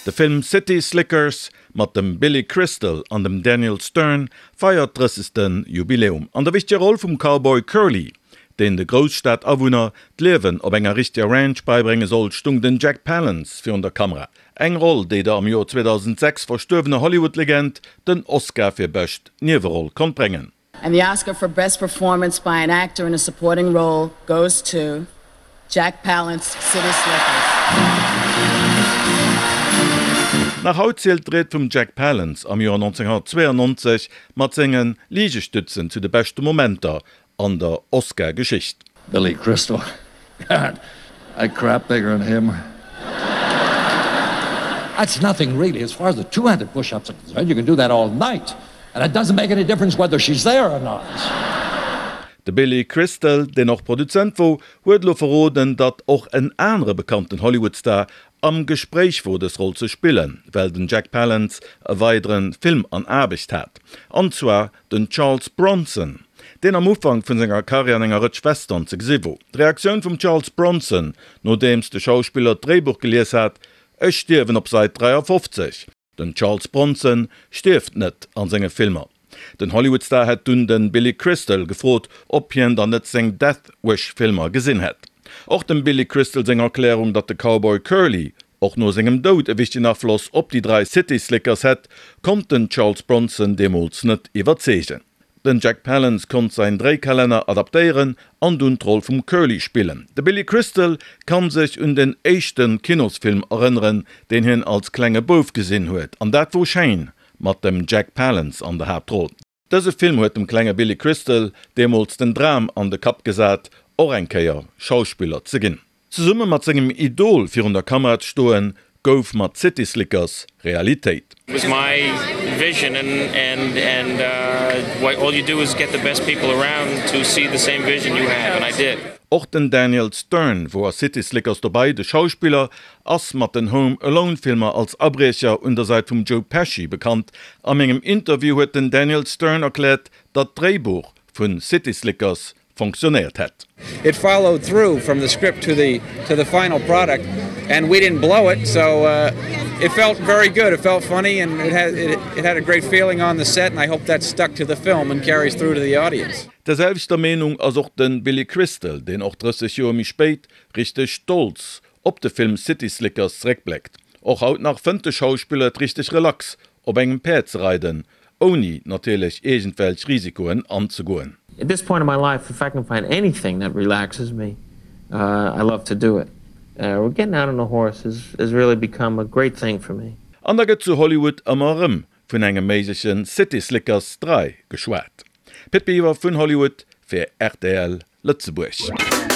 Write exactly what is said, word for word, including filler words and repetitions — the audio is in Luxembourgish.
De Film City Slickers mat dem Billy Crystal an dem Daniel Stern feiert drëssegste Jubiläum. An der wichteger Roll vum Cowboy Curly, deen de Grousstad-Awunner d'Liewen op enger richteger Ranch beibrénge soll, stung den Jack Palance virun der Kamera. Eng Roll, déi der am Joer zweedausendsechs verstuerwener Hollywood-Legend den Oscar fir bescht Nieweroll konnt bréngen. And the Oscar for Best Performance by an Actor in a Supporting Role goes to Jack Palance, City Slickers. Nach haut zielt d'Ried vum Jack Palance am Joer nonzénghonnertzweeënonnonzeg mat senge Ligestützen zu de beschte Momenter an der Oscar-Geschicht. Billy Crystal, God, I crap bigger than him. That's nothing really as far as the two hundred push-ups are concerned, you can do that all night and it doesn't make any difference whether she's there or not. De Billy Crystal, deen och Produzent wor, huet elo verroden, datt och en anere bekannten Hollywood-Star am Gespréich wor dës Roll ze spillen, well den Jack Palance e weidere Film an Aarbecht hat, an zwar den Charles Bronson, deen am Ufank vun senger Karriär an enger Rëtsch Western ze gesi wor. D'Reaktioun vum Charles Bronson, nodeems de Schauspiller d'Dréibuch gelies hat, Ech stierwen op Säit dräiafofzeg. Den Charles Bronson stierft net an senge Filmer. Den Hollywood-Star hätt dunn de Billy Crystal gefrot, ob hien dann net seng Death Wish-Filmer gesinn hätt. Och dem Billy Crystal seng Erklärung, datt de Cowboy Curly och no sengem Doud e wichtegen Afloss op déi dräi City Slickers hätt, konnt den Charles Bronson deemools net iwwerzeegen. Den Jack Palance konnt säin Dréikalenner adaptéieren an dunn d'Roll vum Curly spillen. De Billy Crystal kann sech un den éischte Kinosfilm erënneren, deen hien als klenge Bouf gesinn huet, an dat wor Shane mat dem Jack Palance an der Haaptroll. Dëse Film huet dem klenge Billy Crystal deemools den Dram an de Kapp gesat, och eng Kéier Schauspiller ze ginn. Zesumme mat sengem Idol virun der Kamera ze stoen, gouf mat City Slickers Realitéit. It was my vision and and and what all you do is get the best people around to see the same vision you have and I did. Och den Daniel Stern wor a City Slickers dobei. De Schauspiller ass mat den Home Alone Filmer als Abriecher un der Säit vum Joe Pesci bekannt. Am engem Interview huet den Daniel Stern erkläert, datt d'Dréibuch vu City Slickers fonctionnéiert hätt. It followed through from the script to the to the final product and we didn't blow it so it felt very good, it felt funny and it had it had a great feeling on the set and I hope that stuck to the film and carries through to the audience. Der selwechter Meenung ass och de Billy Crystal, deen och drësseg Joer méi spéit richteg stolz op de Film City Slickers zeréckbléckt. Och haut nach fënnt de Schauspiller et richteg relax, op engem Päerd ze reiden, ouni natierlech iergendwelch Risikoen anzegoen. At this point in my life, if I can find anything that relaxes me, I love to do it. Getting out on a horse has really become a great thing for me. An da gëtt zu Hollywood ëmmer erëm vun engem méigleche City Slickers dräi geschwat. Pit Biwer vun Hollywood fir rtl Lëtzebuerg.